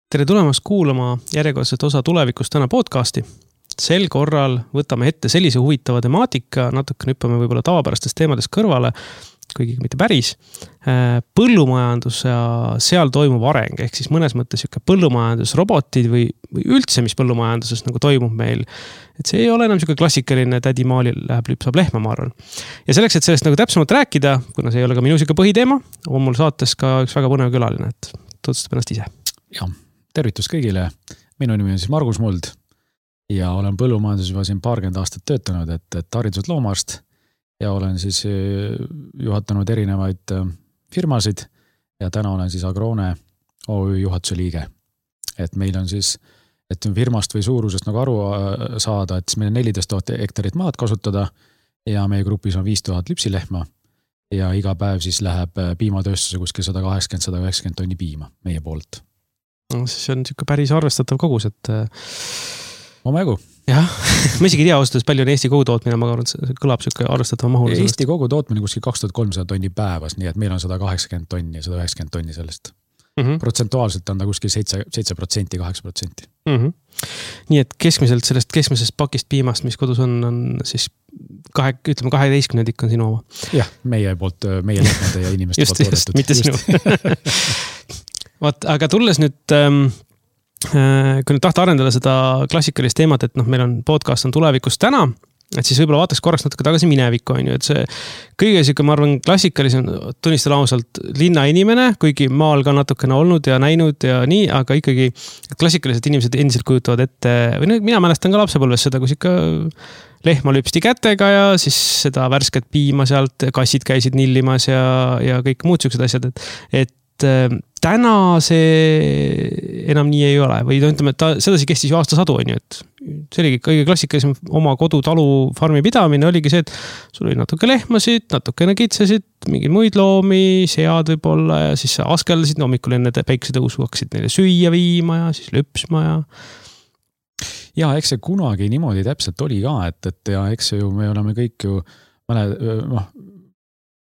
Tere tulemast kuulama järjekordset osa Tulevikust täna podcasti. Sel korral võtame ette sellise huvitava temaatika, natuke hüppame võib-olla tavapärastest teemadest kõrvale, kuigi mitte päris. Põllumajandus ja seal toimub areng, ehk siis mõnes mõttes põllumajandusrobotid või üldse, mis põllumajanduses nagu toimub meil. Et see ei ole enam klassikaline tädi maalil saab lehma, ma arvan. Ja selleks, et sellest nagu täpsemalt rääkida, kuna see ei ole ka minu põhiteema, on mul saates ka üks väga põnev külaline, et tutvustab ennast ise. Ja, tervitus kõigile. Minu nimi on siis Margus Muld ja olen põllumajanduses juba siin 20 aastat töötanud, et hariduselt loomaarst ja olen siis juhatanud erinevaid firmasid ja täna olen siis Agrone OÜ juhatuse liige. Et meil on siis, et firmast või suurusest nagu aru saada, et meil on 14 000 hektarit maad kasutada ja meie grupis on 5000 lüpsilehma ja iga päev siis läheb piimatööstuse kuskil 180-190 tonni piima meie poolt. See on päris arvestatav kogus, et... Omajagu. Jah, ma isegi ei tea ausalt, palju on Eesti kogutootmine, ma arvan, et see kõlab arvestatava mahul. Eesti kogutootmine kuskil 2300 tonni päevas, nii et meil on 180 tonni, 190 tonni sellest. Protsentuaalselt on ta kuskil 7%, 8%. Nii et keskmiselt sellest keskmisest pakist piimast, mis kodus on siis 12 on sinu oma. Jah, meie lehmade ja inimeste poolt toodetud. Mitte sinu. Aga tulles nüüd, kui nüüd tahta arendada seda klassikalist teemat, et meil on podcast on Tulevikust täna, et siis võib-olla vaataks korraks natuke tagasi minevikku, et see kõige ma arvan klassikalisem tunnistan ausalt linnainimene, kuigi maal ka natukene olnud ja näinud ja nii, aga ikkagi klassikalised inimesed endiselt kujutavad ette, või mina mälestan ka lapsepõlves seda, kus ikka lehma lüpsti kätega ja siis seda värsket piima sealt, kassid käisid nillimas ja kõik muud sellised asjad, et täna see enam nii ei ole või ütleme, et sedasi kestis ju aastasadu, et see oligi kõige klassikalisem oma kodutalu farmi pidamine oligi see, et sul oli natuke lehmasid, natukene kitsesid, mingeid muid loomi, sead võib-olla ja siis sa askeldasid, hommikul enne päiksetõusu hakkasid neile süüa viima ja siis lüpsma ja... Ja, eks see kunagi niimoodi täpselt oli ka, et ja eks ju me oleme kõik ju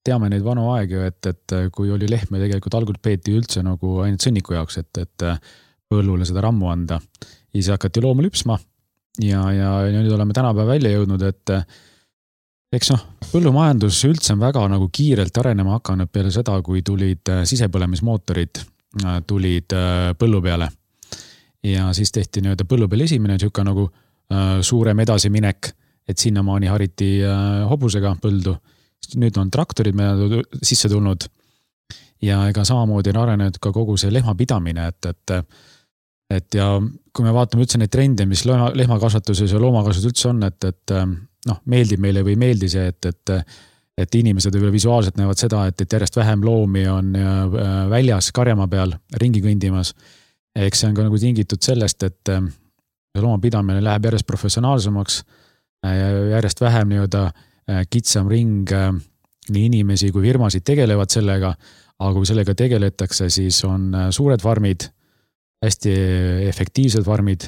teame neid vanu aegu, et kui oli lehme tegelikult algul peeti üldse nagu ainult sõnniku jaoks, et põllule seda rammu anda. Ja siis hakati looma lüpsma ja nüüd oleme tänapäev välja jõudnud, et eks põllumajandus üldse on väga nagu kiirelt arenema hakanud peale seda, kui tulid sisepõlemismootorid tulid põllu peale. Ja siis tehti põllu peal esimene nagu suurem edasiminek, et sinnamaani hariti hobusega põldu. Nüüd on traktorid meile sisse tulnud ja ega samamoodi on arenenud ka kogu see lehmapidamine, et ja kui me vaatame üldse neid trende, mis lehmakasvatuses ja loomakasvatus üldse on, et meeldib meile või meeldi see, et inimesed võib-olla visuaalselt näevad seda, et järjest vähem loomi on väljas karjamaa peal ringi kõndimas. Eks see on ka nagu tingitud sellest, et loomapidamine läheb järjest professionaalsemaks ja järjest vähem kitsam ring nii inimesi kui firmasid tegelevad sellega, aga kui sellega tegeletakse, siis on suured farmid, hästi efektiivsed farmid,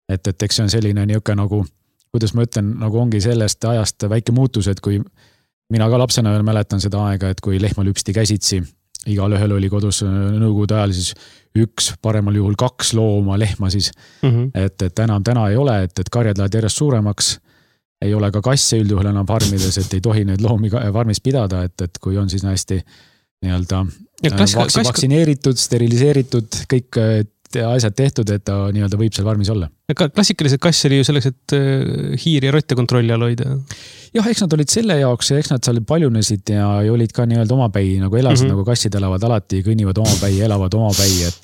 et eks see on selline nagu, kuidas ma ütlen, nagu ongi sellest ajast väike muutus, et kui mina ka lapsena veel mäletan seda aega, et kui lehma lüpsti käsitsi, igal ühel oli kodus nõukogude ajal siis 1, paremal juhul 2 looma lehma siis, et enam täna ei ole, et karjad lähevad järjest suuremaks, ei ole ka kasse üldjuhul enam farmides, et ei tohi neid loomi farmis pidada, et kui on siis hästi vaktsineeritud, steriliseeritud, kõik asjad tehtud, et ta võib seal farmis olla. Klassikalised kass oli ju selleks, et hiiri ja rotte kontrolli all hoida. Jah, eks nad olid selle jaoks ja eks nad seal paljunesid ja olid ka omapäi, nagu elasid, nagu kassid elavad alati, kõnnivad omapäi, elavad omapäi, et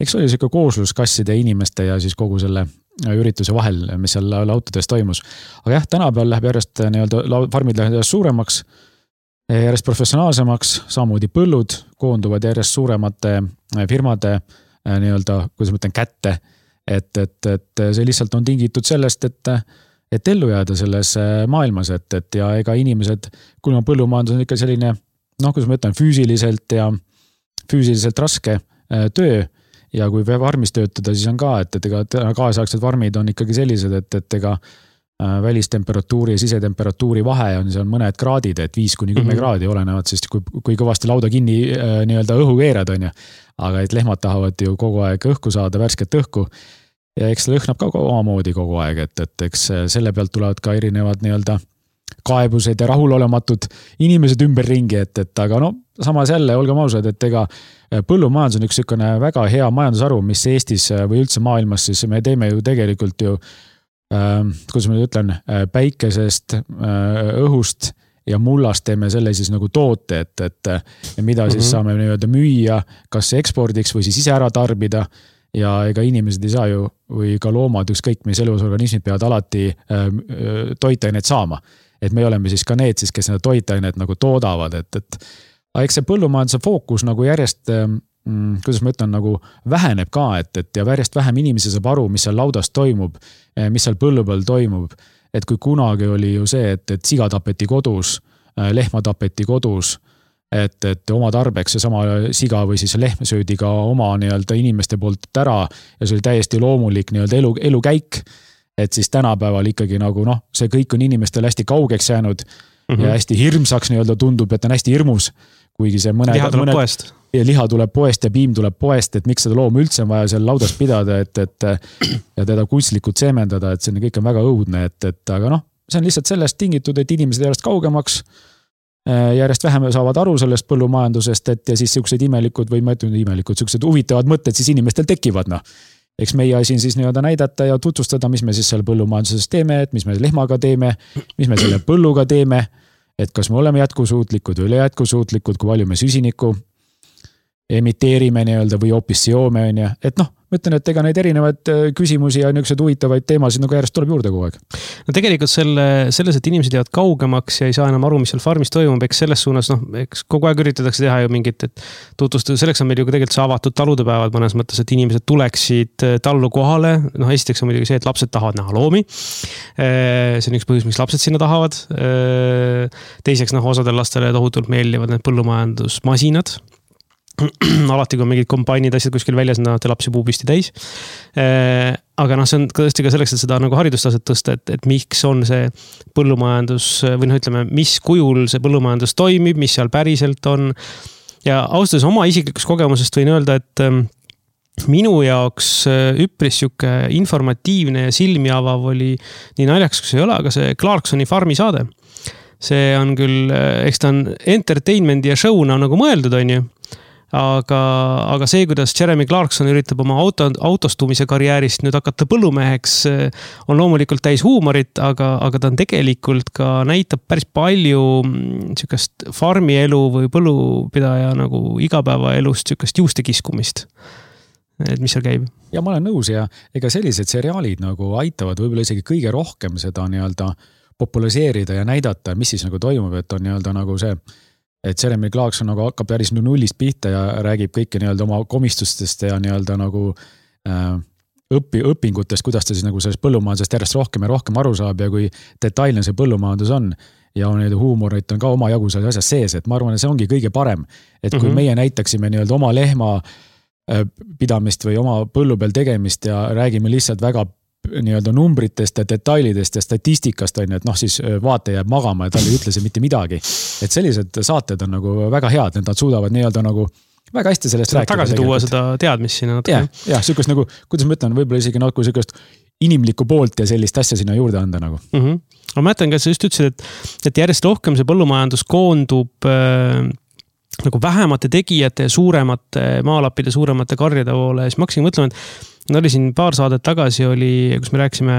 eks oli selline kooslus kasside ja inimeste ja siis kogu selle ürituse vahel, mis seal autodes toimus. Aga jah, tänapäeval läheb järjest farmid lähevad järjest suuremaks, järjest professionaalsemaks, samamoodi põllud koonduvad järjest suuremate firmade kuidas ma ütlen, kätte, et see lihtsalt on tingitud sellest, et ellu jääda selles maailmas, et ja ega inimesed, kuna põllumajandus on ikka selline, kuidas ma ütlen, füüsiliselt raske töö, ja kui farmis töötada, siis on ka, et ega kaasaegsed farmid on ikkagi sellised, et ega välistemperatuuri ja sisetemperatuuri vahe on seal mõned kraadid, et 5-10 kraadi olenevad, sest kui kõvasti lauda kinni nii-öelda õhu keerad, on ju. Aga et lehmad tahavad ju kogu aeg õhku saada, värsket õhku. Ja eks see lõhnab ka omamoodi kogu aeg, et eks selle pealt tulevad ka erinevad nii-öelda kaebused ja rahulolematud inimesed ümberringi, et aga no samas jälle, olgem ausad, et ega põllumajandus on üks sükone väga hea majandusharu, mis Eestis või üldse maailmas, siis me teeme ju tegelikult ju kuidas ma ütlen, päikesest, õhust ja mullast teeme selle siis nagu toote, et mida siis saame nii-öelda müüa, kas ekspordiks või siis ise ära tarbida ja ega inimesed ei saa ju või ka loomad, ükskõik mis elusorganismid peavad alati toitainet saama. Et me oleme siis ka need siis, kes need toitainet nagu toodavad, et eks see põllumajanduse fookus nagu järjest kuidas ma ütlen, nagu väheneb ka, et ja järjest vähem inimesi saab aru, mis seal laudas toimub, mis seal põllu peal toimub. Et kui kunagi oli ju see, et siga tapeti kodus, lehma tapeti kodus, et oma tarbeks see sama siga või siis lehm söödi ka oma nii-öelda inimeste poolt ära ja see oli täiesti loomulik nii-öelda elukäik. Et siis tänapäeval ikkagi nagu see kõik on inimestel hästi kaugeks jäänud ja hästi hirmsaks nii-öelda tundub, et on hästi hirmus, kuigi see liha tuleb poest. Ja liha tuleb poest ja piim tuleb poest, et miks seda loom üldse on vaja seal laudas pidada, et ja teda kunstlikult seemendada, et see kõik on väga õudne, et aga see on lihtsalt sellest tingitud, et inimesed järjest kaugemaks, järjest vähem saavad aru sellest põllumajandusest, et ja siis siuksed imelikud või ma ütlen imelikud, siuksed huvitavad mõtted siis inimestel tekivad, Eks meie asi on siis nii-öelda näidata ja tutvustada, mis me siis seal põllumajanduses teeme, et mis me lehmaga teeme, mis me selle põlluga teeme, et kas me oleme jätkusuutlikud või üle jätkusuutlikud, kui palju me süsinikku emiteerime nii-öelda või hoopis seome on ja, et ma ütlen, et ega neid erinevaid küsimusi ja niisugused huvitavaid teemasid nagu järjest tuleb juurde kogu aeg. No tegelikult selles, et inimesed jäävad kaugemaks ja ei saa enam aru, mis seal farmis toimub, eks selles suunas, eks kogu aeg üritatakse teha ju mingit, et tutvustada, selleks on meil ju tegelikult see avatud taludepäevad mõnes mõttes, et inimesed tuleksid tallu kohale. Esiteks on muidugi see, et lapsed tahavad näha loomi. See on üks põhjus, miks lapsed sinna tahavad. Teiseks, osadel lastele tohutult meeldivad need põllumajandusmasinad. Alati kui on mingid kombainid asjad kuskil väljas, te lapsi puupisti täis. Aga see on tõesti ka selleks, et seda nagu haridustaset tõsta, et miks on see põllumajandus või ütleme, mis kujul see põllumajandus toimib, mis seal päriselt on. Ja austades oma isiklikust kogemusest võin öelda, et minu jaoks üpris siuke informatiivne ja silmi avav oli nii naljaks, kui see ei ole, aga see Clarksoni farmi saade. See on küll, eks ta on entertainment ja show'na nagu mõeldud, on ju. Aga see, kuidas Jeremy Clarkson üritab oma autostumise karjäärist nüüd hakata põllumeheks, on loomulikult täis huumorit, aga ta on tegelikult ka näitab päris palju sükast farmielu või põllupidaja nagu igapäevaelust sükast juuste kiskumist. Et mis seal käib? Ja ma olen nõus ja ega sellised seriaalid nagu aitavad võib-olla isegi kõige rohkem seda nii-öelda populariseerida ja näidata, mis siis nagu toimub, et on nii-öelda nagu see et Jeremy Clarkson nagu hakkab päris nullist pihta ja räägib kõike nii-öelda oma komistustest ja nii-öelda nagu õpingutest, kuidas ta siis nagu sellest põllumajandusest järjest rohkem ja rohkem aru saab ja kui detailne see põllumajandus on ja on huumorit on ka oma jagu seal asjas sees, et ma arvan, et see ongi kõige parem. Et kui meie näitaksime nii-öelda oma lehma pidamist või oma põllu peal tegemist ja räägime lihtsalt väga nii-öelda numbritest ja detailidest ja statistikast on, et siis vaate jääb magama ja tal ei ütle see mitte midagi. Et sellised saated on nagu väga head, et nad suudavad nii-öelda nagu väga hästi sellest rääkida. Tagasi tuua seda teadmist sinna natuke. Ja sükast nagu, kuidas ma ütlen, võib-olla isegi nagu sükast inimlikku poolt ja sellist asja sinna juurde anda nagu. Ma mõtlen, et sa just ütlesid, et järjest rohkem see põllumajandus koondub nagu vähemate tegijate ja suuremate maalappide, suuremate karjade poole. Siis ma hakkasin mõtlema, et oli siin paar saadet tagasi kus me rääkisime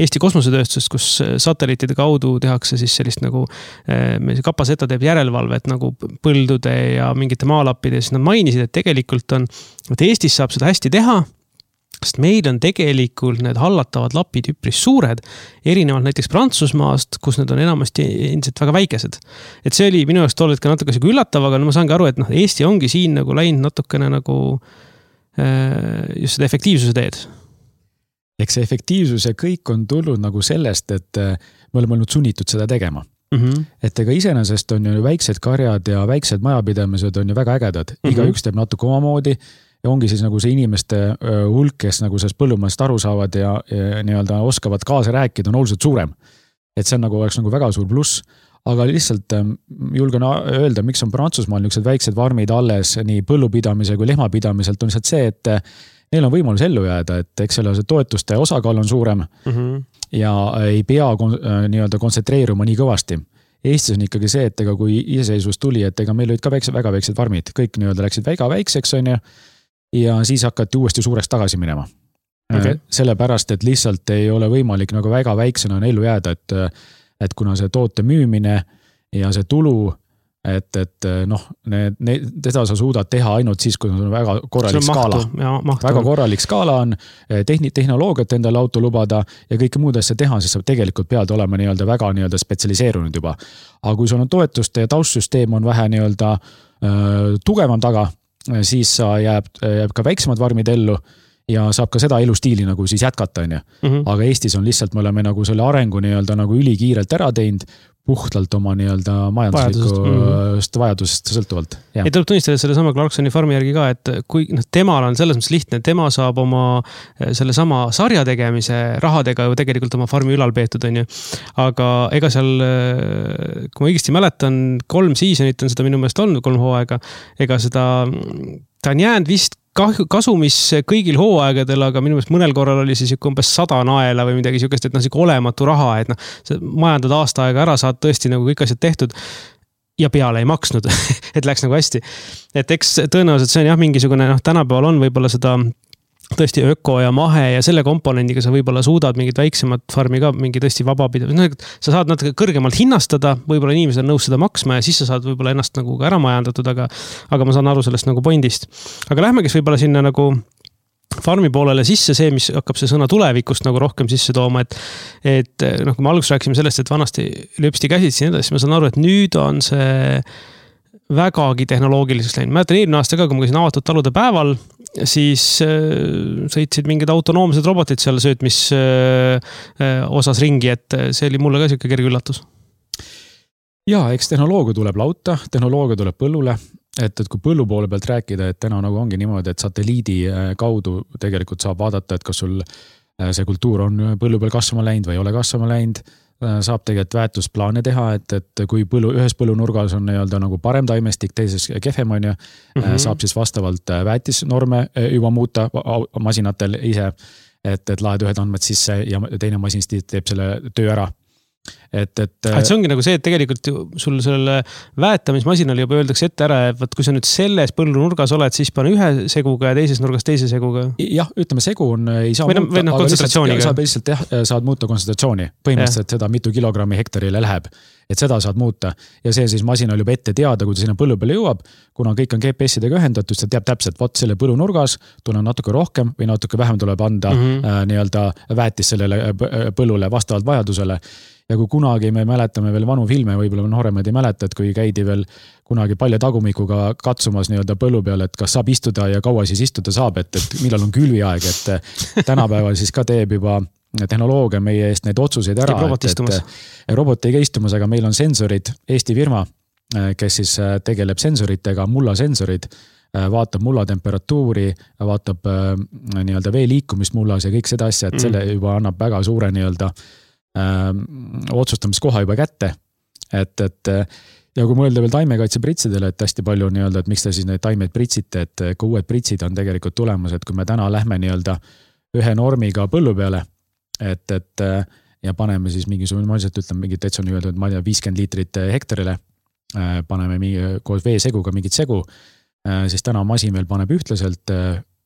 Eesti kosmosetööstusest, kus satelliitide kaudu tehakse siis sellist nagu Kapaseta teeb järelevalvet nagu põldude ja mingite maalappide. Siis nad mainisid, et tegelikult on, et Eestis saab seda hästi teha, sest meil on tegelikult need hallatavad lapid üpris suured, erinevalt näiteks Prantsusmaast, kus need on enamasti endiselt väga väikesed. Et see oli minu jaoks tol hetkel natuke üllatav, aga ma saangi aru, et Eesti ongi siin nagu läinud natukene nagu just seda efektiivsuse teed. Eks see efektiivsus ja kõik on tulnud nagu sellest, et me oleme olnud sunnitud seda tegema. Et ega iseenesest on ju väiksed karjad ja väiksed majapidamised on ju väga ägedad. Igaüks teeb natuke omamoodi. ja ongi siis nagu see inimeste hulk, kes nagu sellest põllumajast aru saavad ja nii-öelda oskavad kaasa rääkida, on oluliselt suurem. Et see on nagu, oleks nagu väga suur pluss, aga lihtsalt julgen öelda, miks on Prantsusmaal niisugused väiksed farmid alles nii põllupidamise kui lehmapidamiselt, on lihtsalt see, et neil on võimalus ellu jääda, et eks selle toetuste osakaal on suurem ja ei pea nii-öelda kontsentreeruma nii kõvasti. Eestis on ikkagi see, et ega kui iseseisvus tuli, et ega meil olid ka väga väiksed farmid, kõik nii-öelda läksid väga väikseks, on ju, ja siis hakati uuesti suureks tagasi minema. Okay. Sellepärast, et lihtsalt ei ole võimalik nagu väga väiksena ellu jääda, et kuna see toote müümine ja see tulu, et noh, teda sa suudad teha ainult siis, kui on väga korralik skaala. Väga korralik skaala on, tehnoloogiat endale auto lubada ja kõike muud asja teha, siis sa tegelikult pead olema nii-öelda väga nii-öelda spetsialiseerunud juba. Aga kui sul on toetuste ja taustsüsteem on vähe nii-öelda tugevam taga, siis sa jääb ka väiksemad varmid ellu ja saab ka seda elustiili nagu siis jätkata, on ju. Aga Eestis on lihtsalt, me oleme nagu selle arengu nii-öelda nagu ülikiirelt ära teinud, puhtalt oma nii-öelda majanduslikust vajadusest sõltuvalt. Ja tuleb tunnistada selle sama Clarksoni farmi järgi ka, et kui temal on selles mõttes lihtne, tema saab oma selle sama sarja tegemise rahadega ju tegelikult oma farmi ülal peetud, on ju. Aga ega seal, kui ma õigesti mäletan, 3 seasonit on seda minu meelest olnud, 3 hooaega, ega seda, ta on jäänud vist kasumis kõigil hooaegadel, aga minu meelest mõnel korral oli siis umbes 100 naela või midagi siukest, et olematu raha, et majandad aasta aega ära, saad tõesti nagu kõik asjad tehtud ja peale ei maksnud, et läks nagu hästi. Et eks tõenäoliselt see on jah mingisugune, tänapäeval on võib-olla seda tõesti öko ja mahe ja selle komponendiga sa võib-olla suudad mingit väiksemat farmi ka mingi tõesti vabapidamine. Sa saad natuke kõrgemalt hinnastada, võib-olla inimesed on nõus seda maksma ja siis sa saad võib-olla ennast nagu ka ära majandatud, aga ma saan aru sellest nagu pointist. Aga lähmegi võib-olla sinna nagu farmi poolele sisse see, mis hakkab see sõna tulevikust nagu rohkem sisse tooma, et kui me alguses rääkisime sellest, et vanasti lööpsti käsid siin edasi, ma saan aru, et nüüd on see vägagi tehnoloogiliseks läinud. Mäletan eelmine aasta ka, kui ma käisin avatud talude päeval, siis sõitsid mingid autonoomsed robotid seal söötmis osas ringi, et see oli mulle ka siuke kerge üllatus. Ja, eks tehnoloogia tuleb lauta, tehnoloogia tuleb põllule, et kui põllu poole pealt rääkida, et täna nagu ongi niimoodi, et satelliidi kaudu tegelikult saab vaadata, et kas sul see kultuur on põllu peal kasvama läinud või ei ole kasvama läinud, saab tegelikult väärtusplaane teha, et kui ühes põllunurgas on nii-öelda nagu parem taimestik, teises kehvem on ju, saab siis vastavalt väetisnorme juba muuta masinatel ise, et laed ühed andmed sisse ja teine masin teeb selle töö ära. Et see ongi nagu see, et tegelikult sul selle väetamismasinal juba öeldakse ette ära, et kui sa nüüd selles põllunurgas oled, siis pane ühe seguga ja teises nurgas teise seguga. Jah, ütleme segu on, ei saa muuta, aga saad muuta kontsentratsiooni. Põhimõtteliselt seda mitu kilogrammi hektarile läheb, et seda saad muuta. Ja see siis masinal juba ette teada, kui ta sinna põllu peale jõuab, kuna kõik on GPS-idega ühendatud, ta teab täpselt, võt selle põllunurgas tuleb natuke rohkem või natuke vähem tuleb anda nii-öelda väetis sellele põllule vastavalt vajadusele. Ja kui kunagi me mäletame veel vanu filme, võib-olla nooremad ei mäleta, et kui käidi veel kunagi palja tagumikuga katsumas nii-öelda põllu peal, et kas saab istuda ja kaua siis istuda saab, et millal on külviaeg, et tänapäeval siis ka teeb juba tehnoloogia meie eest neid otsuseid ära. Robot ei käi istumas, aga meil on sensorid, Eesti firma, kes siis tegeleb sensoritega, mullasensorid, vaatab mulla temperatuuri, vaatab nii-öelda vee liikumist mullas ja kõik seda asja, et selle juba annab väga suure nii-öelda otsustamiskoha juba kätte, et ja kui mõelda veel taimekaitse pritsidele, et hästi palju nii-öelda, et miks te siis neid taimeid pritsite, et ka uued pritsid on tegelikult tulemas, et kui me täna lähme nii-öelda ühe normiga põllu peale, et ja paneme siis mingisugune, ma lihtsalt ütlen mingit täitsa nii-öelda, et ma ei tea, 50 liitrit hektarile, paneme koos veeseguga mingit segu, siis täna masin veel paneb ühtlaselt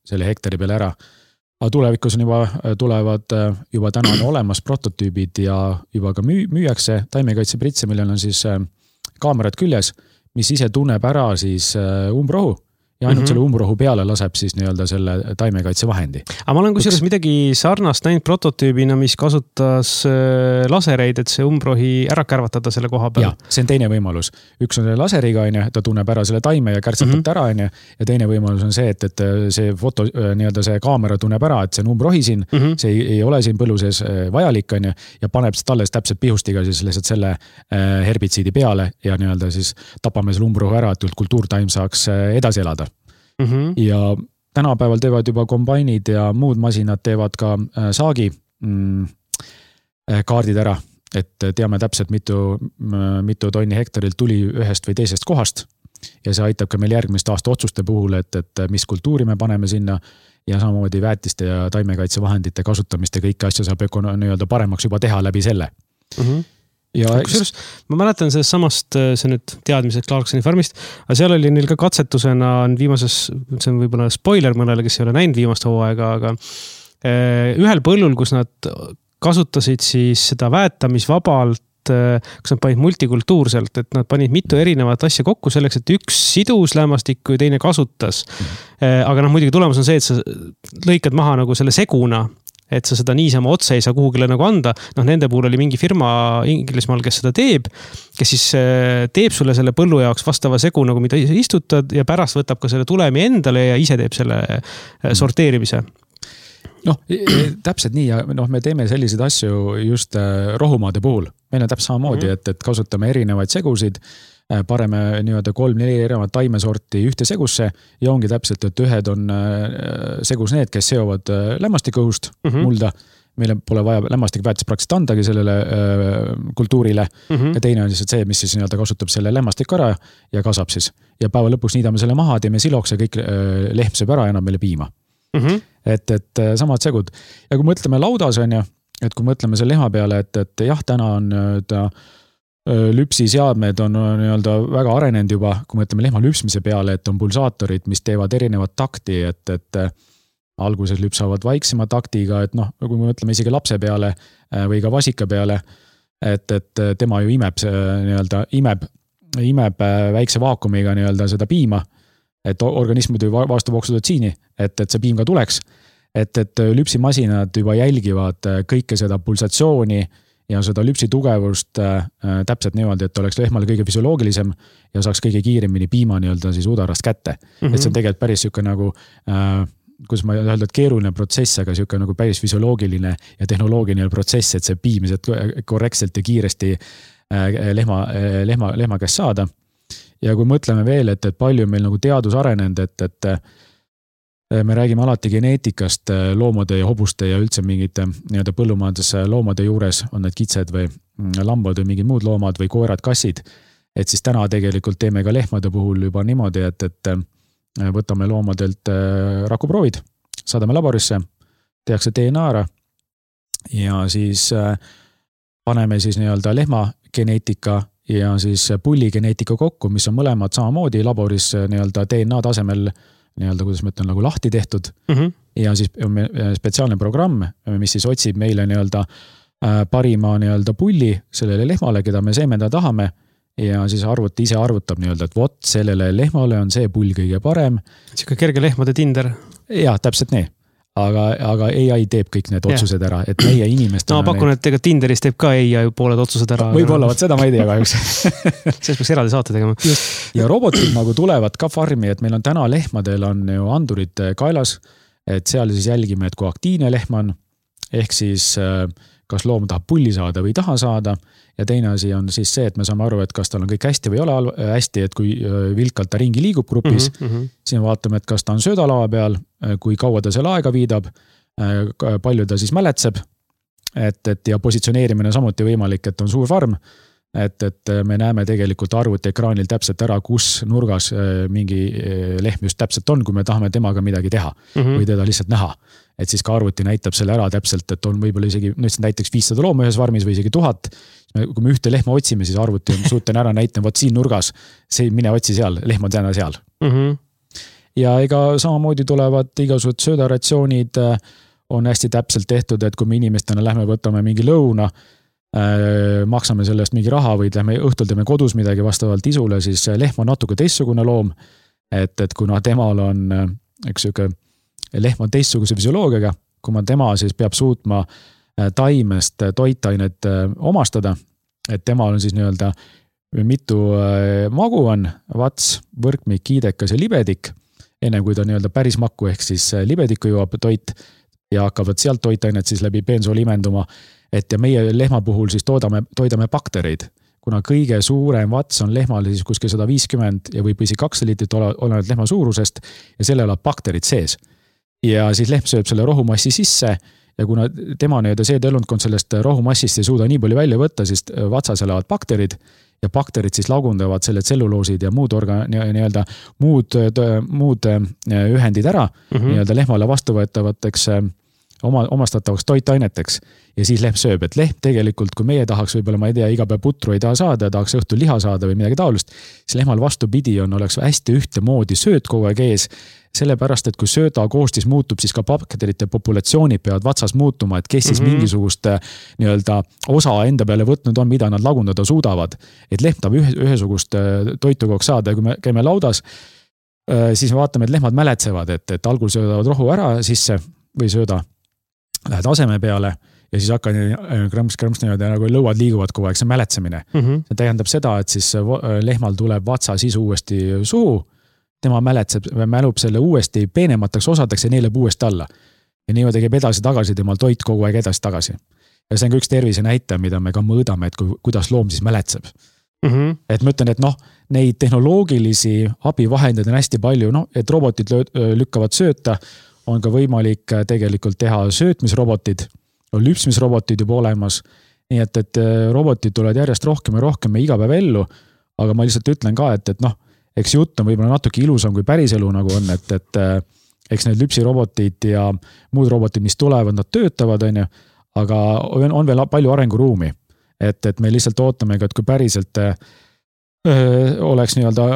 selle hektari peale ära. Aga tulevikus on tulevad juba täna on olemas prototüübid ja juba ka müüakse taimekaitse pritse, millel on siis kaamerad küljes, mis ise tunneb ära siis umbrohu ja ainult selle umbrohu peale laseb siis nii-öelda selle taimekaitse vahendi. Aga ma olen kusjuures midagi sarnast näinud prototüübina, mis kasutas lasereid, et see umbrohi ära kärvatada selle koha peal. Ja, see on teine võimalus. Üks on laseriga, ta tunneb ära selle taime ja kärtsatab ära, ja teine võimalus on see, et see foto, nii-öelda see kaamera tunneb ära, et see on umbrohi siin, see ei ole siin põllu sees vajalik, ja paneb talles täpselt pihustiga siis lihtsalt selle herbitsiidi peale ja nii-öelda siis tapame selle umbrohu ära, et kultuurtaim saaks edasi elada. Ja tänapäeval teevad juba kombainid ja muud masinad teevad ka saagi kaardid ära, et teame täpselt mitu tonni hektarilt tuli ühest või teisest kohast ja see aitab ka meil järgmiste aasta otsuste puhul, et mis kultuuri me paneme sinna ja samamoodi väetiste ja taimekaitsevahendite kasutamist ja kõiki asju saab nii-öelda paremaks juba teha läbi selle. Ja kusjuures ma mäletan sellest samast, see nüüd teadmised Clarksoni farmist, aga seal oli neil ka katsetusena viimases, see on võib-olla spoiler mõnele, kes ei ole näinud viimast hooaega, aga ühel põllul, kus nad kasutasid siis seda väetamisvabalt, kus nad panid multikultuurselt, et nad panid mitu erinevat asja kokku selleks, et üks sidus lämmastikku ja teine kasutas. Aga muidugi tulemus on see, et sa lõikad maha nagu selle seguna, et sa seda niisama otse ei saa kuhugile nagu anda. Nende puhul oli mingi firma Inglismaal, kes seda teeb, kes siis teeb sulle selle põllu jaoks vastava segu, nagu mida istutad ja pärast võtab ka selle tulemi endale ja ise teeb selle sorteerimise. Täpselt nii ja me teeme selliseid asju just rohumaade puhul. Meil on täpselt samamoodi, et kasutame erinevaid segusid, pareme nii-öelda 3-4 erinevat taimesorti ühte segusse ja ongi täpselt, et ühed on segus need, kes seovad lämmastikõhust mulda. Meile pole vaja lämmastikväetis praktiliselt andagi sellele kultuurile ja teine on see, mis siis nii-öelda kasutab selle lämmastik ära ja kasab siis. Ja päeva lõpuks niidame selle maha, teeme siloks ja kõik lehm sööb ära ja enam meile piima. Et samad segud. Ja kui mõtleme laudas on ju, et kui mõtleme selle lehma peale, et jah, täna on lüpsiseadmed on nii-öelda väga arenenud juba, kui mõtleme lehma lüpsmise peale, et on pulsaatorid, mis teevad erinevat takti, et alguses lüpsavad vaiksema taktiga, et kui me mõtleme isegi lapse peale või ka vasika peale, et tema ju imeb väikse vaakumiga nii-öelda seda piima, et organism muidu vastub oksüdotsiini, et see piim ka tuleks, et lüpsimasinad juba jälgivad kõike seda pulsatsiooni ja seda lüpsi tugevust täpselt niimoodi, et oleks lehmale kõige füsioloogilisem ja saaks kõige kiiremini piima nii-öelda siis udarast kätte. Et see on tegelikult päris siuke nagu, kus ma öelda, et keeruline protsess, aga siuke nagu päris füsioloogiline ja tehnoloogiline protsess, et see piimised korrektselt ja kiiresti lehma käest saada. Ja kui mõtleme veel, et palju meil nagu teadus arenenud, et me räägime alati geneetikast loomade ja hobuste ja üldse mingite nii-öelda põllumajandus loomade juures, on need kitsed või lambad või mingid muud loomad või koerad, kassid, et siis täna tegelikult teeme ka lehmade puhul juba niimoodi, et võtame loomadelt rakuproovid, saadame laborisse, tehakse DNA ära ja siis paneme siis nii-öelda lehma geneetika ja siis pulligeneetika kokku, mis on mõlemad samamoodi laboris nii-öelda DNA tasemel nii-öelda, kuidas ma ütlen, nagu lahti tehtud. Ja siis on spetsiaalne programm, mis siis otsib meile nii-öelda parima nii-öelda pulli sellele lehmale, keda me seemendada tahame ja siis arvuti ise arvutab nii-öelda, et vot sellele lehmale on see pull kõige parem. Siuke kerge lehmade Tinder. Ja, täpselt nii. Aga AI teeb kõik need otsused ära, et meie inimestena... No pakun, et ega Tinderis teeb ka AI pooled otsused ära. Võib-olla, seda ma ei tea kahjuks. Selles peaks eraldi saate tegema. Ja robotid nagu tulevad ka farmi, et meil on täna lehmadel on ju andurid kaelas, et seal siis jälgime, et kui aktiivne lehm on, ehk siis kas loom tahab pulli saada või taha saada. Ja teine asi on siis see, et me saame aru, et kas tal on kõik hästi või ei ole hästi, et kui vilkalt ta ringi liigub grupis, siis vaatame, et kas ta on söödalava peal, kui kaua ta selle aega viidab, palju ta siis mäletseb, ja positsioneerimine samuti võimalik, et on suur farm, et me näeme tegelikult arvutiekraanil täpselt ära, kus nurgas mingi lehm just täpselt on, kui me tahame temaga midagi teha või teda lihtsalt näha. Et siis ka arvuti näitab selle ära täpselt, et on võib-olla isegi näiteks 500 looma ühes farmis või isegi 1000. Kui me ühte lehma otsime, siis arvuti on suuten ära näitama, vot siin nurgas, mine otsi seal, lehm on täna seal. Ja ega samamoodi tulevad igasugused söödaratsioonid on hästi täpselt tehtud, et kui me inimestena lähme võtame mingi lõuna, maksame sellest mingi raha või õhtul teeme kodus midagi vastavalt isule, siis lehm on natuke teistsugune loom, et kuna temal on üks siuke lehm on teistsuguse füsioloogiaga, kui ma tema siis peab suutma taimest toitainet omastada, et temal on siis nii-öelda mitu magu on, vats, võrkmik, kiidekas ja libedik, enne kui ta nii-öelda päris makku ehk siis libedikku jõuab toit ja hakkavad sealt toitainet siis läbi peensool imenduma, et ja meie lehma puhul siis toidame baktereid. kuna kõige suurem vats on lehmal siis kuskil 150 ja võib isegi 200 liitrit olenevalt lehma suurusest ja selle elab bakterid sees. Ja siis lehm sööb selle rohumassi sisse ja kuna tema seedeelundkond sellest rohumassist ei suuda nii palju välja võtta, siis vatsas elavad bakterid ja bakterid siis lagundavad selle tselluloosid ja muud ühendid ära nii-öelda lehmale vastuvõetavateks omastatavaks toitaineteks ja siis lehm sööb, et lehm tegelikult, kui meie tahaks võib-olla, ma ei tea, iga päev putru ei taha saada, tahaks õhtul liha saada või midagi taolist, siis lehmal vastupidi oleks hästi ühtemoodi sööt kogu aeg ees, sellepärast, et kui sööda koostis muutub, siis ka bakterite populatsioonid peavad vatsas muutuma, et kes siis mingisugust nii-öelda osa enda peale võtnud on, mida nad lagundada suudavad. Et lehm tahab ühesugust toitu kogu saada ja kui me käime laudas, siis me vaatame, et lehmad mäletsevad, et algul söödavad rohu ära sisse või sööda lähed aseme peale ja siis hakkad krõmps nagu lõuad liiguvad kogu aeg, see mäletsemine. See tähendab seda, et siis lehmal tuleb vatsa sisu uuesti suhu, tema mälub selle uuesti peenemataks osadeks ja neeleb uuesti alla. Ja niimoodi käib edasi-tagasi, temal toit kogu aeg edasi-tagasi. Ja see on ka üks tervise näitaja, mida me ka mõõdame, et kuidas loom siis mäletseb. Et ma ütlen, et neid tehnoloogilisi abivahendeid on hästi palju, et robotid lükkavad sööta, on ka võimalik tegelikult teha söötmisrobotid, on lüpsmisrobotid juba olemas, nii et robotid tulevad järjest rohkem ja rohkem iga päev ellu, aga ma lihtsalt ütlen ka, et eks jutt on võib-olla natuke ilusam kui päris elu nagu on, et eks need lüpsirobotid ja muud robotid, mis tulevad, nad töötavad, aga on veel palju arenguruumi, et me lihtsalt ootame, et kui päriselt oleks nii-öelda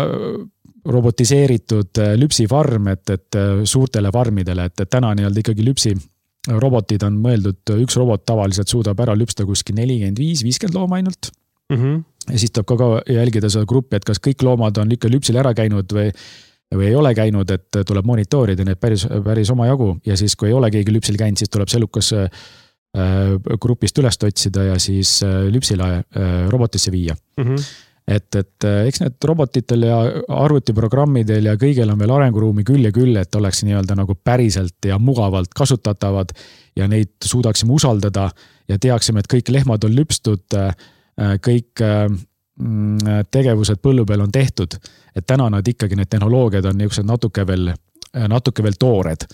robotiseeritud lüpsifarm, et suurtele farmidele, et täna nii-öelda ikkagi lüpsirobotid on mõeldud, üks robot tavaliselt suudab ära lüpsta kuskil 45-50 looma ainult. Ja siis tuleb ka jälgida seda gruppi, et kas kõik loomad on ikka lüpsil ära käinud või ei ole käinud, et tuleb monitoorida need päris oma jagu ja siis kui ei ole keegi lüpsil käinud, siis tuleb sellukas grupist üles otsida ja siis lüpsile robotisse viia. Et eks need robotitel ja arvutiprogrammidel ja kõigil on veel arenguruumi küll ja küll, et oleks nii-öelda nagu päriselt ja mugavalt kasutatavad ja neid suudaksime usaldada ja teaksime, et kõik lehmad on lüpstud, kõik tegevused põllu peal on tehtud, et täna nad ikkagi need tehnoloogiad on niisugused natuke veel toored.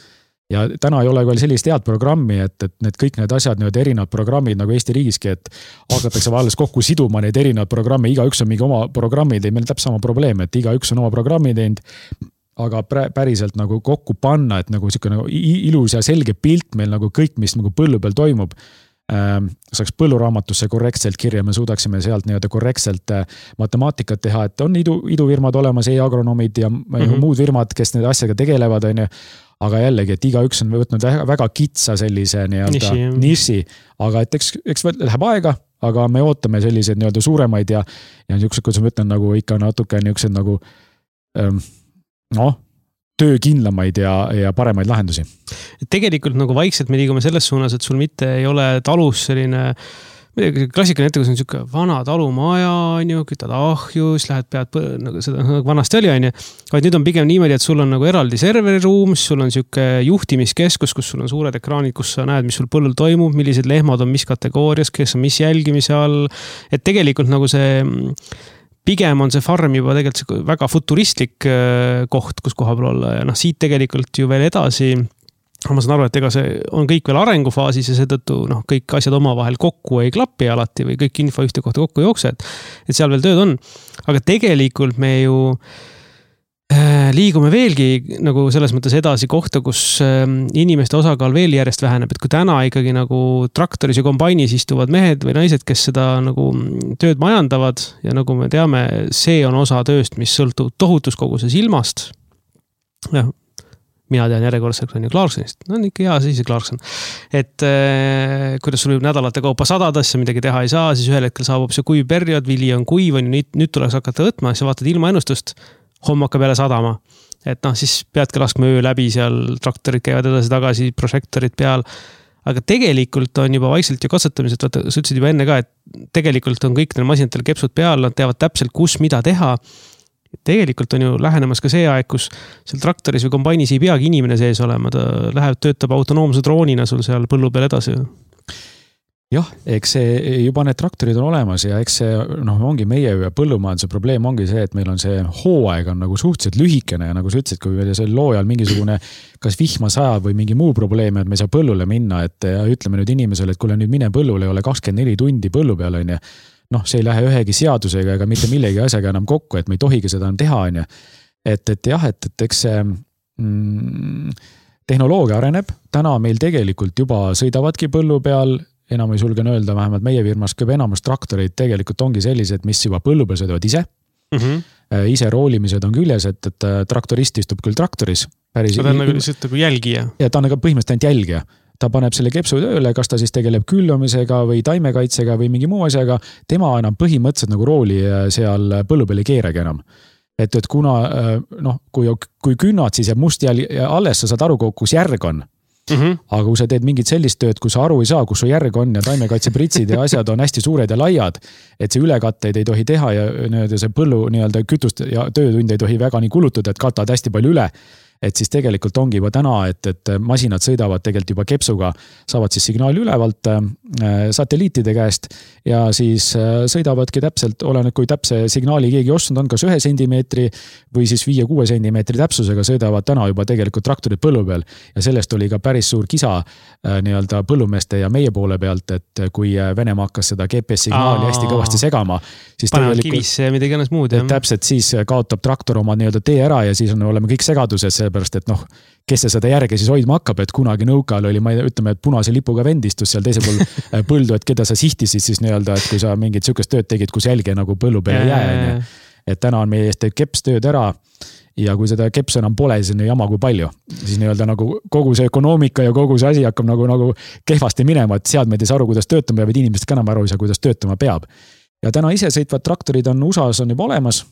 Ja täna ei ole veel sellist head programmi, et need kõik need asjad, need erinevad programmid nagu Eesti riigiski, et hakatakse alles kokku siduma neid erinevad programme, igaüks on mingi oma programmid, meil on täpselt sama probleem, et igaüks on oma programmi teinud, aga päriselt nagu kokku panna, et nagu selline ilus ja selge pilt meil nagu kõik, mis nagu põllu peal toimub, saaks põlluraamatusse korrektselt kirja, me suudaksime sealt nii-öelda korrektselt matemaatikat teha, et on idufirmad olemas, e-agronomid ja muud firmad, kes need asjaga tegelevad, aga jällegi, et igaüks on võtnud väga kitsa sellise nii-öelda niši, aga et eks läheb aega, aga me ootame selliseid nii-öelda suuremaid ja niisugused, kuidas ma ütlen, nagu ikka natuke niisugused nagu töökindlamaid ja paremaid lahendusi. Tegelikult nagu vaikselt me liigume selles suunas, et sul mitte ei ole talus selline klassikaline ette, kus on niisugune vana talumaja, kütad ahjus, lähed pead, nagu seda vanasti oli, vaid nüüd on pigem niimoodi, et sul on nagu eraldi serveriruum, sul on niisugune juhtimiskeskus, kus sul on suured ekraanid, kus sa näed, mis sul põllul toimub, millised lehmad on mis kategoorias, kes on mis jälgimise all, et tegelikult nagu see pigem on see farm juba tegelikult väga futuristlik koht, kus koha peal olla ja siit tegelikult ju veel edasi ma saan aru, et ega see on kõik veel arengufaasis ja seetõttu kõik asjad omavahel kokku ei klapi alati või kõik info ühte kohta kokku jookse, et seal veel tööd on. Aga tegelikult me ju liigume veelgi nagu selles mõttes edasi kohta, kus inimeste osakaal veel järjest väheneb, et kui täna ikkagi nagu traktoris ja kombainis istuvad mehed või naised, kes seda nagu tööd majandavad ja nagu me teame, see on osa tööst, mis sõltub tohutus koguses ilmast. Mina tean järjekordselt on ju Clarksonist. On ikka hea siis Clarkson. Et kuidas sul võib nädalate kaupa sadadesse midagi teha ei saa, siis ühel hetkel saabub see kuiv periood, vili on kuiv, nüüd tuleks hakata võtma, siis vaatad ilmaennustust, homme hakkab jälle sadama. Et siis peadki laskma öö läbi seal, traktorid käivad edasi-tagasi, prožektorid peal. Aga tegelikult on juba vaikselt ju katsetamised, sa ütlesid juba enne ka, et tegelikult on kõik neil masinatel kepsud peal, nad teavad täpselt, kus mida teha. Tegelikult on ju lähenemas ka see aeg, kus seal traktoris või kombainis ei peagi inimene sees olema, ta läheb, töötab autonoomse droonina sul seal põllu peal edasi. jah, eks see juba need traktorid on olemas ja eks see ongi meie põllumajanduse probleem ongi see, et meil on see hooaeg on nagu suhteliselt lühikene ja nagu sa ütlesid, kui meil seal loojal mingisugune kas vihma sajab või mingi muu probleem, et me ei saa põllule minna, et ütleme nüüd inimesele, et kuule nüüd mine põllule ei ole 24 tundi põllu peal, on ju. See ei lähe ühegi seadusega ega mitte millegi asjaga enam kokku, et me ei tohigi seda enam teha, on ju. Et jah, et eks see tehnoloogia areneb, täna meil tegelikult juba sõidavadki põllu peal, enam ei julgen öelda, vähemalt meie firmas kõige enamus traktoreid tegelikult ongi sellised, mis juba põllu peal sõidavad ise. Ise roolimised on küljes, et traktorist istub küll traktoris. Ta on nagu lihtsalt nagu jälgija. Ja ta on nagu põhimõtteliselt ainult jälgija. Ta paneb selle kepsu tööle, kas ta siis tegeleb küllamisega või taimekaitsega või mingi muu asjaga. Tema enam põhimõtteliselt nagu rooli seal põllu peal ei keeragi enam. Et kuna, kui künnad, siis jääb must alles, sa saad aru, kus järg on. Aga kui sa teed mingit sellist tööd, kus sa aru ei saa, kus su järg on ja taimekaitsepritsid ja asjad on hästi suured ja laiad, et see ülekatteid ei tohi teha ja see põllu kütust ja töötund ei tohi väga nii kulutada, et katad hästi palju üle. Et siis tegelikult ongi juba täna, et masinad sõidavad tegelikult juba kepsuga, saavad siis signaali ülevalt satelliitide käest ja siis sõidavadki täpselt, oleneb kui täpse signaali keegi ostnud on, kas 1 sentimeetri või siis 5-6 sentimeetri täpsusega sõidavad täna juba tegelikult traktorid põllu peal ja sellest oli ka päris suur kisa nii-öelda põllumeeste ja meie poole pealt, et kui Venemaa hakkas seda GPS-signaali hästi kõvasti segama, siis panevad kivisse ja midagi ennast muud. Täpselt siis kaotab traktor oma nii-öelda tee ära ja siis oleme kõik segaduses, sellepärast, et kes see seda järge siis hoidma hakkab, et kunagi nõukaajal oli, ütleme, et punase lipuga vendistus seal teise pool põldu, et keda sa sihtisid siis nii-öelda, et kui sa mingit sükest tööd tegid, kus jälge nagu põllu peale jää, et täna on meie eest keps tööd ära ja kui seda kepsu enam pole, siis on jama kui palju. Siis nii-öelda nagu kogu see ökonoomika ja kogu see asi hakkab nagu kehvasti minema, et seadmed ei saa aru, kuidas töötama peab, et inimesed ka enam aru ei saa, kuidas töötama peab. Ja täna ise sõitvad traktorid on USA-s on juba olemas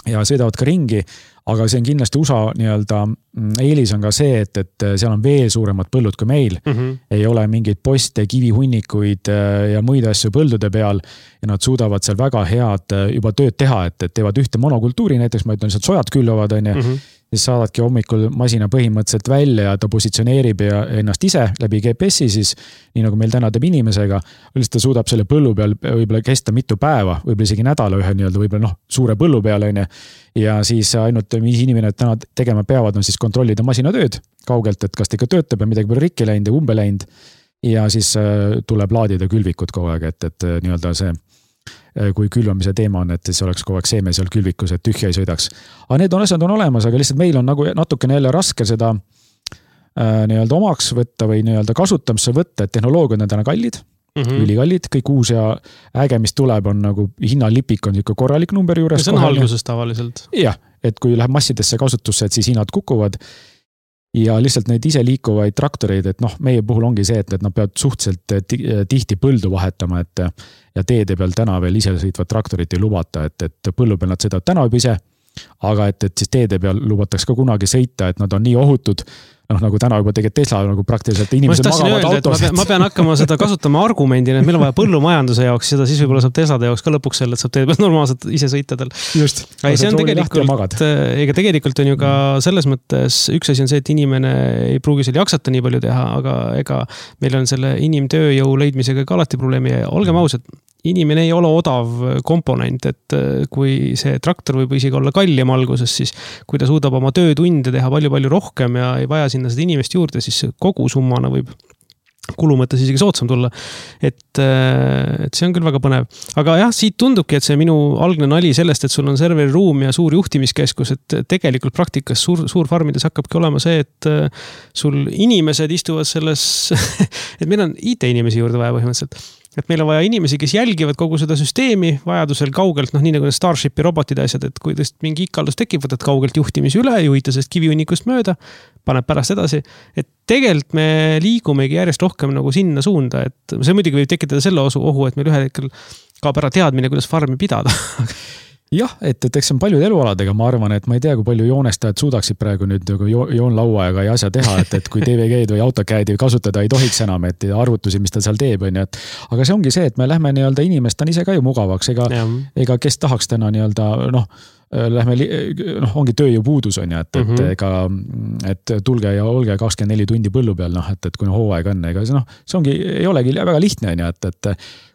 ja sõidavad ka ringi, aga see on kindlasti USA nii-öelda eelis on ka see, et seal on veel suuremad põllud kui meil. Ei ole mingeid poste, kivihunnikuid ja muid asju põldude peal ja nad suudavad seal väga head juba tööd teha, et teevad ühte monokultuuri, näiteks ma ütlen, lihtsalt sojad külvavad, siis saadadki hommikul masina põhimõtteliselt välja ja ta positsioneerib ennast ise läbi GPS-i siis, nii nagu meil täna teeb inimesega, lihtsalt ta suudab selle põllu peal võib-olla kesta mitu päeva, võib-olla isegi nädala ühe nii-öelda võib-olla suure põllu peal ja siis ainult mis inimene täna tegema peavad on siis kontrollida masinatööd kaugelt, et kas ta ikka töötab ja midagi pole rikki läinud ja umbe läinud ja siis tuleb laadida külvikud kogu aeg, et nii-öelda see kui külvamise teema on, et siis oleks kogu aeg seeme seal külvikus, et tühja ei sõidaks. Aga need asjad on olemas, aga lihtsalt meil on nagu natukene jälle raske seda nii-öelda omaks võtta või nii-öelda kasutamisse võtta, et tehnoloogiad on täna kallid, ülikallid, kõik uus ja äge, mis tuleb, on nagu hinnalipik on ikka korralik number juures. See on alguses tavaliselt. Jah, et kui läheb massidesse kasutusse, et siis hinnad kukuvad. Ja lihtsalt neid ise liikuvaid traktoreid, et meie puhul ongi see, et nad peavad suhteliselt tihti põldu vahetama, et ja teede peal täna veel ise sõitvad traktorit ei lubata, et põllu peal nad sõidavad täna juba ise, aga et siis teede peal lubataks ka kunagi sõita, et nad on nii ohutud, nagu täna juba tegelikult Tesla nagu praktiliselt inimesed magavad autos. Ma pean hakkama seda kasutama argumendina, et meil on vaja põllumajanduse jaoks, seda siis võib-olla saab Teslade jaoks ka lõpuks selle, et saab teede peal normaalselt ise sõita tal. Just. See on tegelikult on ju ka selles mõttes, üks asi on see, et inimene ei pruugi seal jaksata nii palju teha, aga ega meil on selle inimtööjõu leidmisega ka alati probleemi ja olgem ausad, inimene ei ole odav komponent, et kui see traktor võib isegi olla kallim alguses, siis kui ta suudab oma töötunde teha palju-palju rohkem ja ei vaja sinna seda inimest juurde, siis kogu summana võib kulu mõttes isegi soodsam tulla. Et see on küll väga põnev. Aga jah, siit tundubki, et see minu algne nali sellest, et sul on serveriruum ja suur juhtimiskeskus, et tegelikult praktikas suur farmides hakkabki olema see, et sul inimesed istuvad selles, et meil on IT-inimesi juurde vaja põhimõtteliselt. Et meil on vaja inimesi, kes jälgivad kogu seda süsteemi, vajadusel kaugelt, nii nagu Starshipi robotide asjad, et kui tõest mingi ikaldus tekib, võtad kaugelt juhtimise üle, juhita sellest kivihunnikust mööda, paneb pärast edasi. Et tegelikult me liigumegi järjest rohkem nagu sinna suunda, et see muidugi võib tekitada selle ohu, et meil ühel hetkel kaob ära teadmine, kuidas farmi pidada. Jah, et eks on paljud elualadega, ma arvan, et ma ei tea, kui palju joonestajad suudaksid praegu nüüd joonlaua ja asja teha, et kui DVG-d või AutoCAD-i kasutada ei tohiks enam, et arvutusi, mis ta seal teeb, on ju, et aga see ongi see, et me lähme nii-öelda inimest on ise ka ju mugavaks, ega kes tahaks täna nii-öelda lähme, ongi tööjõupuudus on ju, et tulge ja olge 24 tundi põllu peal, et kui hooaeg on, ega see ongi, ei olegi väga lihtne on ju, et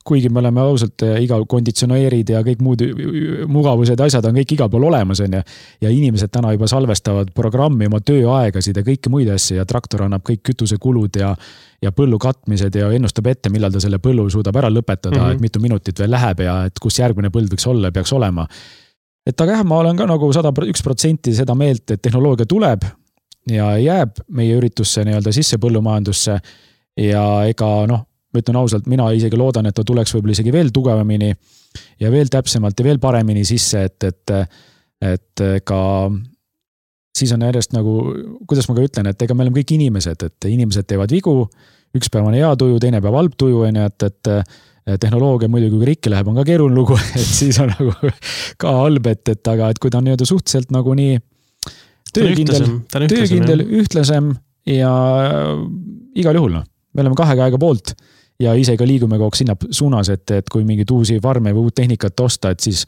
kuigi me oleme ausalt iga konditsioneerid ja kõik muud mugavused ja asjad on kõik igal pool olemas on ju, ja inimesed täna juba salvestavad programmi oma tööaegasid ja kõike muid asju ja traktor annab kõik kütusekulud ja põllu katmised ja ennustab ette, millal ta selle põllu suudab ära lõpetada, et mitu minutit veel läheb ja et kus järgmine põld võiks olla, peaks olema. Et aga jah, ma olen ka nagu 101% seda meelt, et tehnoloogia tuleb ja jääb meie üritusse nii-öelda sisse põllumajandusse ja ega ma ütlen ausalt, mina isegi loodan, et ta tuleks võib-olla isegi veel tugevamini ja veel täpsemalt ja veel paremini sisse, et ka siis on järjest nagu, kuidas ma ka ütlen, et ega me oleme kõik inimesed, et inimesed teevad vigu, üks päev on hea tuju, teine päev halb tuju, et tehnoloogia muidugi, kui rikki läheb, on ka keeruline lugu, et siis on nagu ka halb, aga et kui ta on nii-öelda suhteliselt nagu nii töökindel, ühtlasem ja igal juhul, me oleme kahe käega poolt ja ise ka liigume kogu sinna suunas, et kui mingid uusi farme või uut tehnikat osta, et siis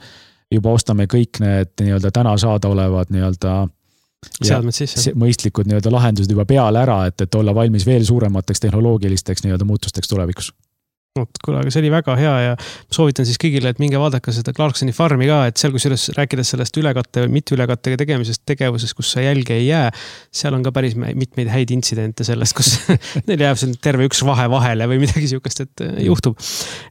juba ostame kõik need nii-öelda täna saada olevad nii-öelda mõistlikud nii-öelda lahendused juba peale ära, et olla valmis veel suuremateks tehnoloogilisteks nii-öelda muutusteks tulevikus. Kuule, aga see oli väga hea ja soovitan siis kõigile, et minge vaadake seda Clarksoni farmi ka, et seal kusjuures rääkides sellest ülekatte või mitte ülekattega tegemisest tegevusest, kus sa jälge ei jää, seal on ka päris mitmeid häid intsidente sellest, kus neil jääb terve üks vahe vahele või midagi sihukest, et juhtub.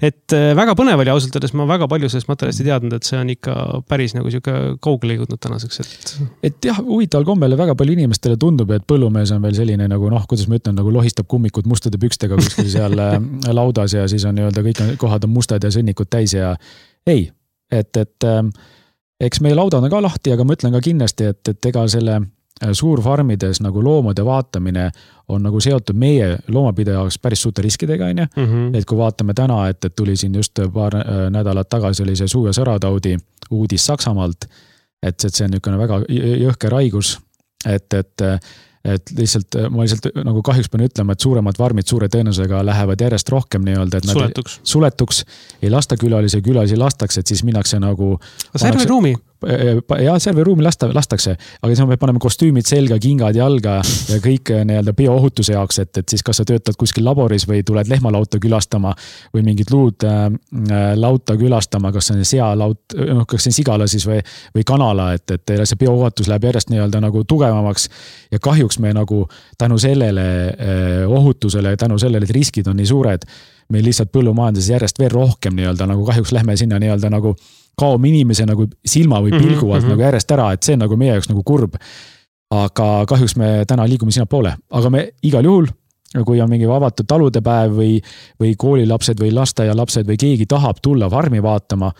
Et väga põnev oli ausalt öeldes, ma väga palju sellest materjalist ei teadnud, et see on ikka päris nagu sihuke kaugele jõudnud tänaseks. Et jah, huvitaval kombele väga palju inimestele tundub, et põllumees on veel selline nagu kuidas ma ütlen, nagu lohistab kummikud mustade pükstega kuskil seal laudas ja siis on nii-öelda kõik kohad on mustad ja sõnnikud täis ja ei, et eks meie laudad on ka lahti, aga ma ütlen ka kindlasti, et ega selle suurfarmides nagu loomade vaatamine on nagu seotud meie loomapidaja jaoks päris suurte riskidega, on ju. Et kui vaatame täna, et tuli siin just paar nädalat tagasi oli see suu- ja sõrataudi uudis Saksamaalt, et see on niisugune väga jõhker haigus, et lihtsalt ma nagu kahjuks pean ütlema, et suuremad farmid suure tõenäosusega lähevad järjest rohkem nii-öelda, et nad suletuks, ei lasta külalisi lastakse, et siis minnakse nagu serveriruumi. Ja serveriruumi lastakse, aga siis me paneme kostüümid selga, kingad jalga ja kõik nii-öelda bioohutuse jaoks, et siis kas sa töötad kuskil laboris või tuled lehmalauta külastama või mingit luud lauta külastama, kas see on sealaut, kas see on sigala siis või kanala, et see bioohutus läheb järjest nii-öelda nagu tugevamaks ja kahjuks me nagu tänu sellele ohutusele, tänu sellele, et riskid on nii suured, meil lihtsalt põllumajanduses järjest veel rohkem nii-öelda nagu kahjuks lähme sinna nii-öelda nagu kaob inimese nagu silma või pilgu alt nagu järjest ära, et see on nagu meie jaoks nagu kurb. Aga kahjuks me täna liigume sinna poole. Aga me igal juhul, kui on mingi avatud talude päev või koolilapsed või lasteaialapsed või keegi tahab tulla farmi vaatama,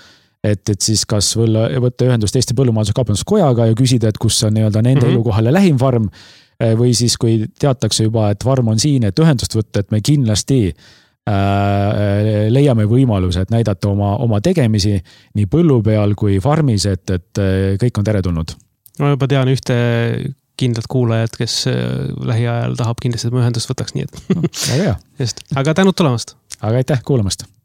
et siis kas võtta ühendust Eesti Põllumajandus-Kaubanduskojaga ja küsida, et kus on nii-öelda nende elukohale lähim farm või siis kui teatakse juba, et farm on siin, et ühendust võtta, et me kindlasti leiame võimaluse, et näidata oma tegemisi nii põllu peal kui farmis, et kõik on teretulnud. Ma juba tean ühte kindlat kuulajat, kes lähiajal tahab kindlasti, et ma ühendust võtaks, nii et. Väga hea. Just. Aga tänud tulemast. Aga aitäh kuulamast.